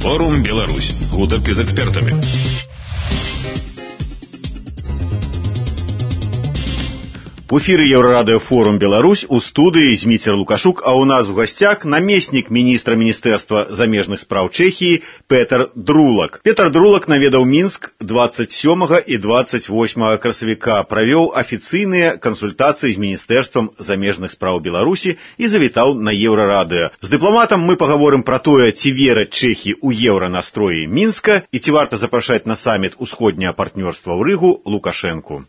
Форум Беларусь. Гутарки з экспертами. В эфире Еврорадио Форум Беларусь, у студии Змитер Лукашук, а у нас в гостях наместник министра Министерства замежных справ Чехии Петр Друлак. Петр Друлак наведал Минск 27 и 28 красавіка, провел официальные консультации с Министерством замежных справ Беларуси и завитал на Еврорадио. С дипломатом мы поговорим про то, ці верать Чехии у евронастрои Минска и ці варта запрашать на саммит усходняе партнерства в Ригу Лукашенку.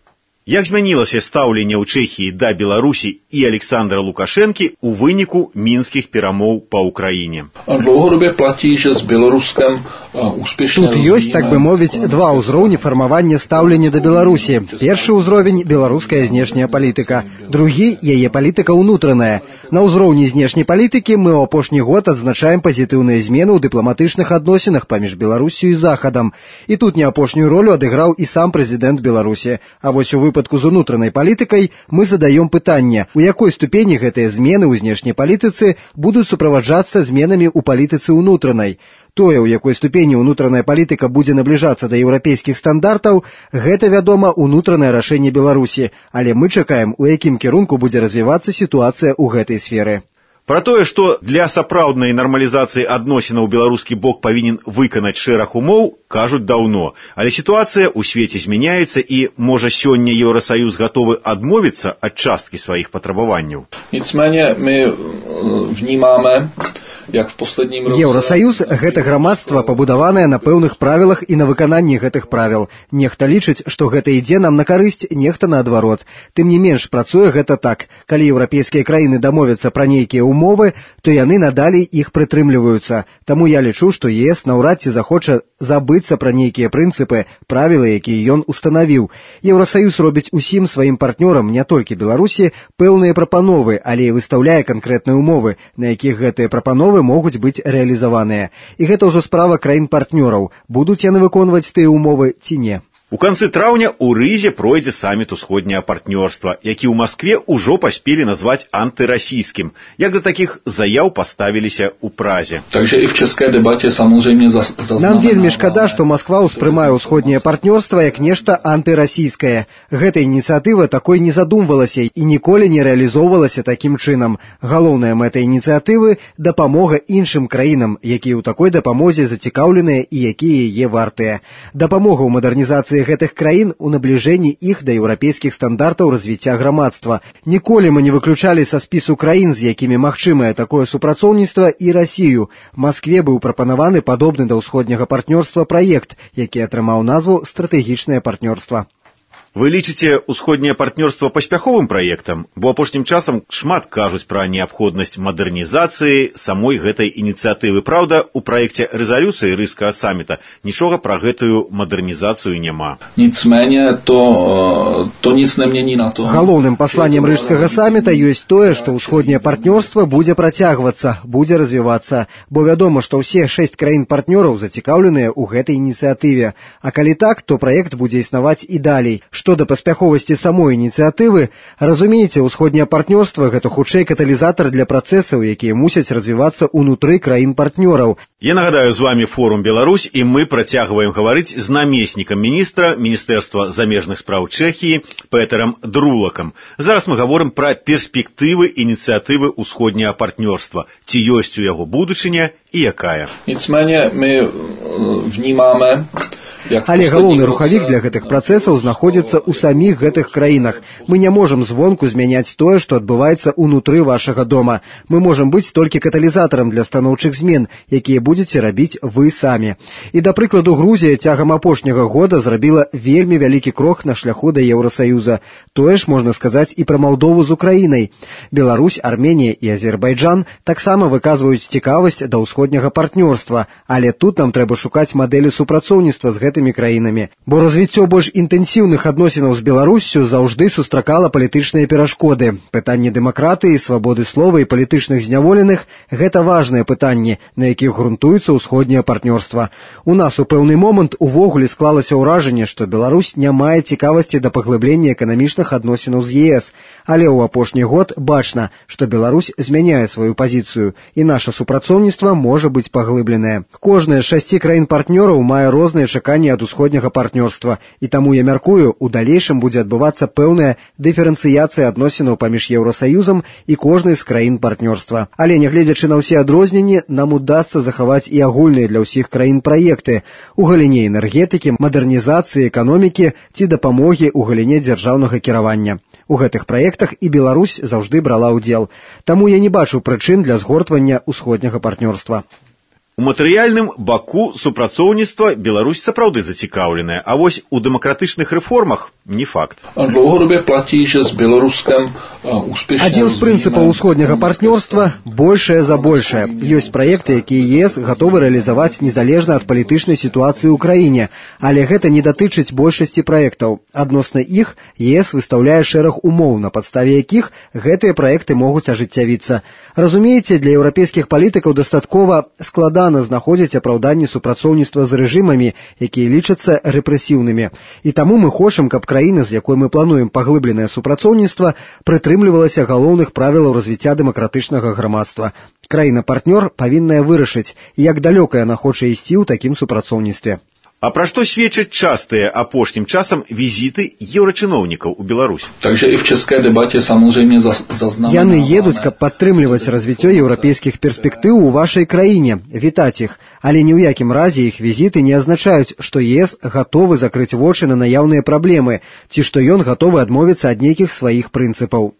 Як змянілася стаўленне ў Чэхіі да Беларусі і Александра Лукашэнкі у выніку мінскіх перамоў па Ўкраіне? Dlouhodobě platí, že s Běloruskem úspěšně. Тут ёсць, так бы мовіць, два ўзроўні фармавання стаўлення да Беларусі. Першы ўзровень беларуская знешняя палітыка, другі яе палітыка ўнутраная. На ўзроўні знешняй палітыкі мы ў апошні год адзначаем пазітыўныя змены ў дыпламатычных адносінах паміж Беларусю і Захадам. І тут не апошнюю ролю адыграў і сам прэзідэнт Беларусі. А вось у выпадку з унутранай палітыкай мы задаем пытанне, у якой ступені гэтыя змены ў знешняй палітыцы будуць суправаджацца зменамі ў палітыцы ўнутранай. Тое, у якой ступені ўнутраная палітыка будзе набліжацца да еўрапейскіх стандартаў, гэта, вядома, унутранае рашэнне Беларусі, але мы чакаем, у якім кірунку будзе развівацца сітуацыя ў гэтай сферы. Про тое, што для сапраўднай нармалізацыі адносінаў беларускі бок павінен выканаць шэраг умоў, кажуць даўно. Але сітуацыя ў свеце змяняецца і, можа, сёння Еўрасаюз гатовы адмовіцца ад часткі сваіх патрабаванняў. Nicméně my vnímáme, як в последнім році. Еўрасаюз – гэта грамадства, пабудаванае на пэўных правілах і на выкананні гэтых правіл. Нехта лічыць, што гэта ідзе нам на карысць, нехта наадварот. Тым не менш, працуе гэта так. Калі еўрапейскія краіны дамовяцца пра нейкія умовы, то яны надалей іх прытрымліваюцца. Таму я лічу, што ЕС наўрад ці захоча забыцца пра нейкія прынцыпы, правілы, якія ён устанавіў. Еўрасаюз робіць усім сваім партнёрам, не толькі Беларусі, пэўныя прапановы, але і выстаўляе канкрэтныя умовы, на якіх гэтыя прапановы могуць быць рэалізаваныя. І гэта ўжо справа краін-партнёраў, будуць яны выконваць тыя умовы ці не. У канцы траўня ў Рызе пройдзе саммит усходняе партнёрства, які ў Маскве ўжо паспелі назваць антырасійскім. Як да такіх заяў паставіліся ў Празе. Takže i v české debatě samozřejmě Нам вельмі шкада, што Масква ўспрымае ўсходняе партнёрства як нешта антырасійскае. Гэта ініцыятыва такой не задумвалася і ніколі не рэалізоўвалася такім чынам. Галоўная мэта ініцыятывы – дапамога іншым краінам, якія ў такой дапамозе зацікаўленыя і якія яе вартыя. Дапамога ў мадэрнізацыі гэтых краін у набліжэнні іх да еўрапейскіх стандартаў развіцця грамадства. Ніколі мы не выключалі са спісу краін, з якімі магчымае такое супрацоўніцтва, і Расію. Маскве быў прапанаваны падобны да ўсходняга партнёрства праект, які атрымаў назву «Стратэгічнае партнёрства». Вы лічыце усходняе партнёрства паспяховым праектам? Бо апошнім часам шмат кажуць пра неабходнасць мадэрнізацыі самой гэтай ініцыятывы. Праўда, у праекце рэзалюцыі рыжскага самміта нічога пра гэтую мадэрнізацыю няма. Nicméně to nic nemění na to. Галоўным пасланнем рыжскага самміта ёсць тое, што ўсходняе партнёрства будзе працягвацца, будзе развівацца. Бо вядома, што ўсе 6 краін-партнёраў зацікаўленыя ў гэтай ініцыятыве. А калі так, то праект будзе існаваць і далей. Што да паспяховасці самой ініцыятывы, разумееце, усходняе партнёрства – гэта хутчэй каталізатар для працэсаў, якія мусяць развівацца ўнутры краін-партнёраў. Я нагадаю, з вами Форум Беларусь, і мы працягваем гаварыць з намеснікам міністра Міністэрства замежных справ Чэхіі Петэрам Друлакам. Зараз мы гаворым пра перспектывы ініцыятывы усходняе партнёрства. Ці ёсць у яго будучыня і якая? Nicméně my vnímáme. Але галоўны рухавік для гэтых працэсаў знаходзіцца ў саміх гэтых краінах. Мы не можам звонку змяняць тое, што адбываецца ўнутры вашага дома. Мы можам быць толькі каталізатарам для станоўчых змен, якія будзеце рабіць вы самі. І, да прыкладу, Грузія цягам апошняга года зрабіла вельмі вялікі крок на шляху да Еўрасаюза. Тое ж можна сказаць і пра Малдову з Украінай. Беларусь, Арменія і Азербайджан таксама выказваюць цікавасць да ўсходняга партнёрства, але тут нам трэба шукаць мадэлі супрацоўніцтва з гэтымі краінамі. Бо развіццё больш інтэнсіўных адносінаў з Беларуссю заўжды сустракала палітычныя перашкоды. Пытанне дэмакратыі, свабоды слова і палітычных зняволеных – гэта важныя пытанні, на якіх грунтуецца ўсходняе партнёрства. У нас у пэўны момант увогуле склалася ўражанне, што Беларусь не мае цікавасці да паглыблення эканамічных адносінаў з ЕС, але ў апошні год бачна, што Беларусь змяняе сваю пазіцыю, і наша супрацоўніцтва можа быць паглыбленае. Кожная з 6 краін-партнёраў мае розныя чаканні ад усходняга партнёрства, і таму я мяркую, у далейшым будзе адбывацца пэўная дыферэнцыяцыя адносінаў паміж Еўрасаюзам і кожнай з краін партнёрства. Але нягледзячы на ўсе адрозненні, нам удасца захаваць і агульныя для ўсіх краін праекты у галіне энергетыкі, мадэрнізацыі эканомікі ці дапамогі ў галіне дзяржаўнага кіравання. У гэтых праектах і Беларусь заўжды брала ўдзел. Таму я не бачу прычын для згортвання ўсходняга партнёрства. У матэрыяльным баку супрацоўніцтва Беларусь сапраўды зацікаўленая, а вось у дэмакратычных рэформах не факт. Dlouhodobě platí, že s Běloruskem úspěšně. Адзін з прынцыпаў усходняга партнёрства – большае за большае. Ёсць праекты, якія ЕС гатовы рэалізаваць незалежна ад палітычнай сітуацыі ў краіне, але гэта не датычыць большасці праектаў. Адносна іх ЕС выстаўляе шэраг умоў, на падставе якіх гэтыя праекты могуць ажыццявіцца. Разумееце, для еўрапейскіх палітыкаў дастаткова складана знаходзіць апраўданне супрацоўніцтва з рэжымамі, якія лічацца рэпрэсіўнымі. І таму мы хочам, каб краіна, з якой мы плануем паглыбленае супрацоўніцтва, прытрымлівалася галоўных правілаў развіцця дэмакратычнага грамадства. Краіна-партнёр павінная вырашыць, як далёка яна хоча ісці ў такім супрацоўніцтве. А пра што сведчаць частыя апошнім часам візіты еўрачыноўнікаў у Беларусь? Takže i v české debatě samozřejmě zaznamenáváme. Яны едуць, каб падтрымліваць развіццё еўрапейскіх перспектыў у вашай краіне, вітаць іх. Але ні ў якім разе іх візіты не азначаюць, што ЕС гатовы закрыць вочы на наяўныя праблемы, ці што ён гатовы адмовіцца ад нейкіх сваіх прынцыпаў.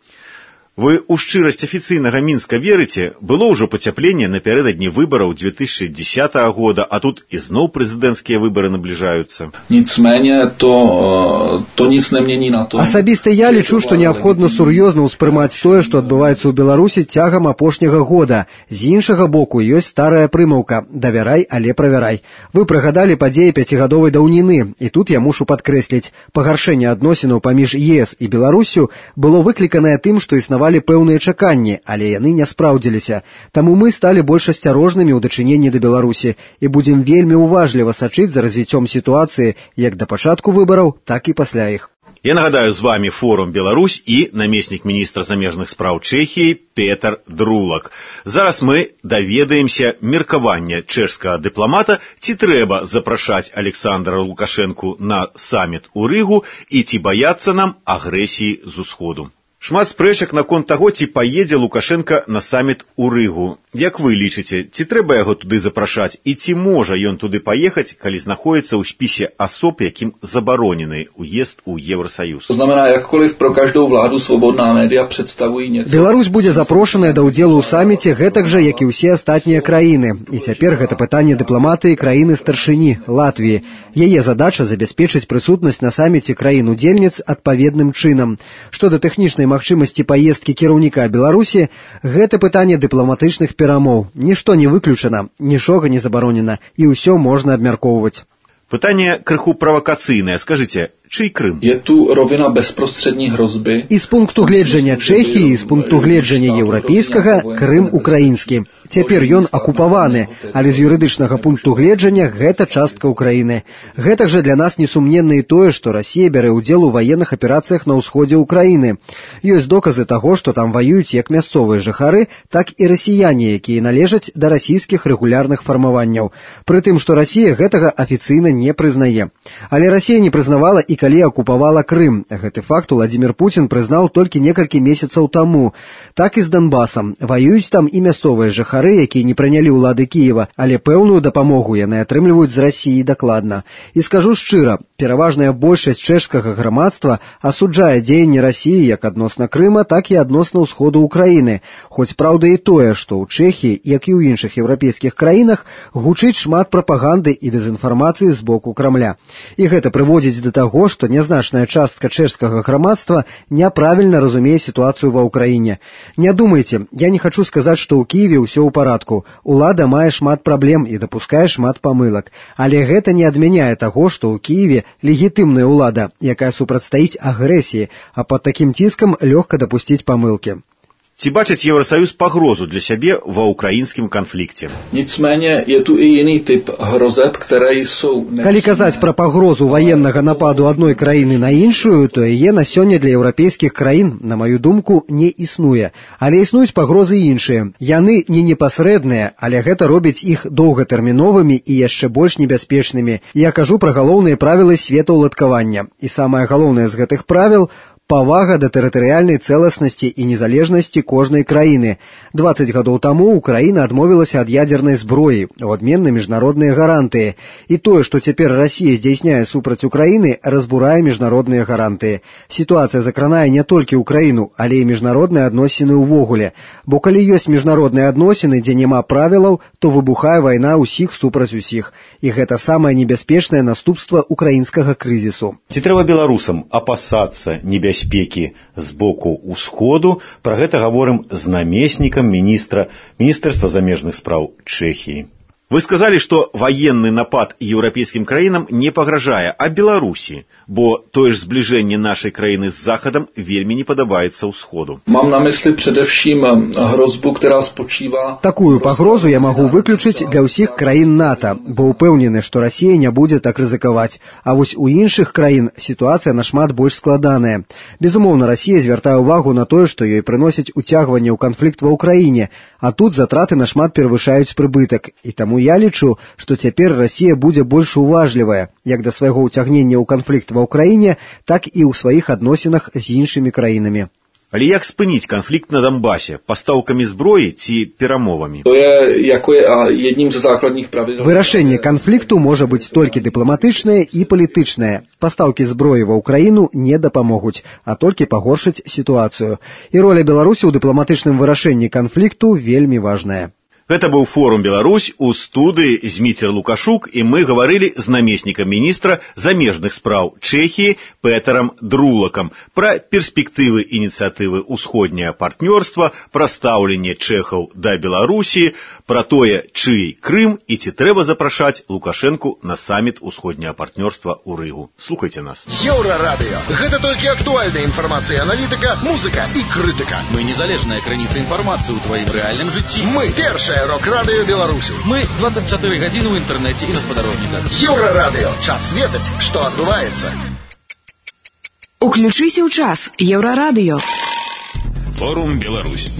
Вы ў шчырасць афіцыйнага Мінска верыце? Было ўжо пацяпленне напярэдадні выбараў 2010 года, а тут ізноў прэзідэнцкія выбары набліжаюцца. Nicméně to nic nemění na tom. Асабіста я лічу, што неабходна сур'ёзна ўспрымаць тое, што адбываецца ў Беларусі цягам апошняга года. З іншага боку ёсць старая прымаўка «давярай, але правярай». Вы прыгадалі падзеі 5гадовай даўніны, і тут я мушу падкрэсліць, пагаршэнне адносінаў паміж ЕС і Беларуссю было выкліканае тым, што існавалі пэўныя чаканні, але яны не спраўдзіліся. Таму мы сталі больш асцярожнымі ў дачыненні да Беларусі і будзем вельмі уважліва сачыць за развіццём сітуацыі як да пачатку выбараў, так і пасля іх. Я нагадаю, з вами форум Беларусь і намеснік міністра замежных спраў Чэхіі Петар Друлак. Зараз мы даведаемся меркавання чэшскага дыпламата, ці трэба запрашаць Александра Лукашэнку на саміт у Рыгу і ці баяцца нам агрэсіі з усходу. Шмат спрэчак наконт таго, ці паедзе Лукашенка на саміт у Рыгу. Як вы лічыце, ці трэба яго туды запрашаць і ці можа ён туды паехаць, калі знаходзіцца ў спісе асоб, якім забаронены уезд у Евросоюз? To znamená, jakkoliv pro každou vládu svobodná média představují něco. Беларусь будзе запрошаная да ўдзелу ў саміце гэтак жа, як і ўсе астатнія краіны. І цяпер гэта пытанне дыпламатыі краіны-старшыні Латвіі. Яе задача забяспечыць прысутнасць на саміце краін-удзельніц адпаведным чынам. Што да тэхнічнай магчымасці паездкі кіраўніка Беларусі, гэта пытанне дыпламатычных перамоў. Нішто не выключана, нічога не забаронена, і ўсё можна абмяркоўваць. Пытанне крыху правакацыйнае. Скажыце, чый Крым? Je tu rovina bezprostřední hrozby. І з пункту гледжання Чэхіі, і з пункту гледжання еўрапейскага, Крым украінскі. Цяпер ён акупаваны, але з юрыдычнага пункту гледжання гэта частка Украіны. Гэтак жа для нас несумненна і тое, што Расія бярэ ўдзел у ваенных аперацыях на ўсходзе Украіны. Ёсць доказы таго, што там ваююць як мясцовыя жыхары, так і расіяне, якія належаць да расійскіх рэгулярных фармаванняў. Прытым, што Расія гэтага афіцыйна не прызнае. Але Расія не прызнавала і калі акупавала Крым. Гэты факт Владзімір Пуцін прызнаў толькі некалькі месяцаў таму. Так і з Донбасам. Ваююць там і мясцовыя жыхары, якія не прынялі ўлады Кіева, але пэўную дапамогу яны атрымліваюць з Расіі дакладна. І скажу шчыра, пераважная большасць чэшскага грамадства асуджае дзеянні Расіі як адносна Крыма, так і адносна ўсходу Украіны. Хоць праўда і тое, што ў Чэхіі, як і ў іншых еўрапейскіх краінах, гучыць шмат прапаганды і дэзінфармацыі з боку Крамля. І гэта прыводзіць да таго, што нязначная частка чэшскага грамадства няправільна разумее сітуацыю ва ўкраіне. Не думайце, я не хачу сказаць, што ў Кіеве ўсё ў парадку. Улада мае шмат праблем і дапускае шмат памылак. Але гэта не адмяняе таго, што ў Кіеве легітымная ўлада, якая супрацьстаіць агрэсіі, а пад такім ціскам лёгка дапусціць памылкі. Ці бачыць Евросоюз пагрозу для сябе ва ўкраінскім канфлікце? Nicméně je tu i jiný typ hrozeb, které jsou... Калі казаць пра пагрозу ваеннага нападу адной краіны на іншую, то яе на сёння для еўрапейскіх краін, на маю думку, не існуе. Але існуюць пагрозы іншыя. Яны не непасрэдныя, але гэта робіць іх доўгатэрміновымі і яшчэ больш небяспечнымі. Я кажу пра галоўныя правілы светаўладкавання. І самае галоўнае з гэтых правіл – павага да тэрытарыяльнай цэласнасці і незалежнасці кожнай краіны. 20 гадоў таму Украіна адмовілася ад ядзернай зброі, у адмен на міжнародныя гарантыі. І тое, што цяпер Расія здзяйсняе супраць Украіны, разбурае міжнародныя гарантыі. Сітуацыя закранае не толькі Украіну, але і міжнародныя адносіны ўвогуле. Бо калі ёсць міжнародныя адносіны, дзе няма правілаў, то выбухае вайна ўсіх супраць усіх. І гэта самае небяспечнае наступства украінскага крызісу. Ці трэба беларусам апасацца небяспекі з боку ўсходу? Пра гэта гаворым з намеснікам Міністэрства замежных спраў Чэхіі. Вы сказалі, што ваенны напад еўрапейскім краінам не пагражае, а Беларусі, бо тое ж збліжэнне нашай краіны з Захадам вельмі не падабаецца ўсходу. Mám na mysli především hrozbu, která spočívá... Такую пагрозу я магу выключыць для ўсіх краін НАТО, бо ўпэўнены, што Расія не будзе так рызыкаваць. А вось у іншых краін сітуацыя нашмат больш складаная. Безумоўна, Расія звяртае ўвагу на тое, што ёй прыносіць уцягванне ў канфлікт ва ўкраіне, а тут затраты нашмат перавышаюць прыбытак. І таму я лічу, што цяпер Расія будзе больш уважлівая, як да свайго ўцягнення ў канфлікт ва ўкраіне, так і ў сваіх адносінах з іншымі краінамі. Але як спыніць канфлікт на Донбасе? Пастаўкамі зброі ці перамовамі? Jedním ze základních pravidel. Вырашэнне канфлікту можа быць толькі дыпламатычнае і палітычнае. Пастаўкі зброі ва ўкраіну не дапамогуць, а толькі пагоршыць сітуацыю. І роля Беларусі ў дыпламатычным вырашэнні канфлікту вельмі важная. Гэта быў форум «Беларусь», у студыі Зміцер Лукашук, і мы гаварылі з намеснікам міністра замежных спраў Чэхіі Петарам Друлакам пра перспектывы ініцыятывы «Усходняе партнёрства», пра стаўленне чэхаў да Беларусі, пра тое, чый Крым і ці трэба запрашаць Лукашэнку на саміт «Усходняе партнёрства» ў Рыгу. Слухайце нас. Еўрарадыё. Гэта толькі актуальная інфармацыя, аналітыка, музыка і крытыка. Мы незалежная крыніца інфармацыі ў тваім рэальным жыцці. Мы першая рок-радыё Беларусі. Мы 24 гадзіны ў інтэрнэце і на спадарожніках. Еўрарадыё. Час ведаць, што адбываецца. Уключыся ў час. Еўрарадыё. Форум «Беларусь».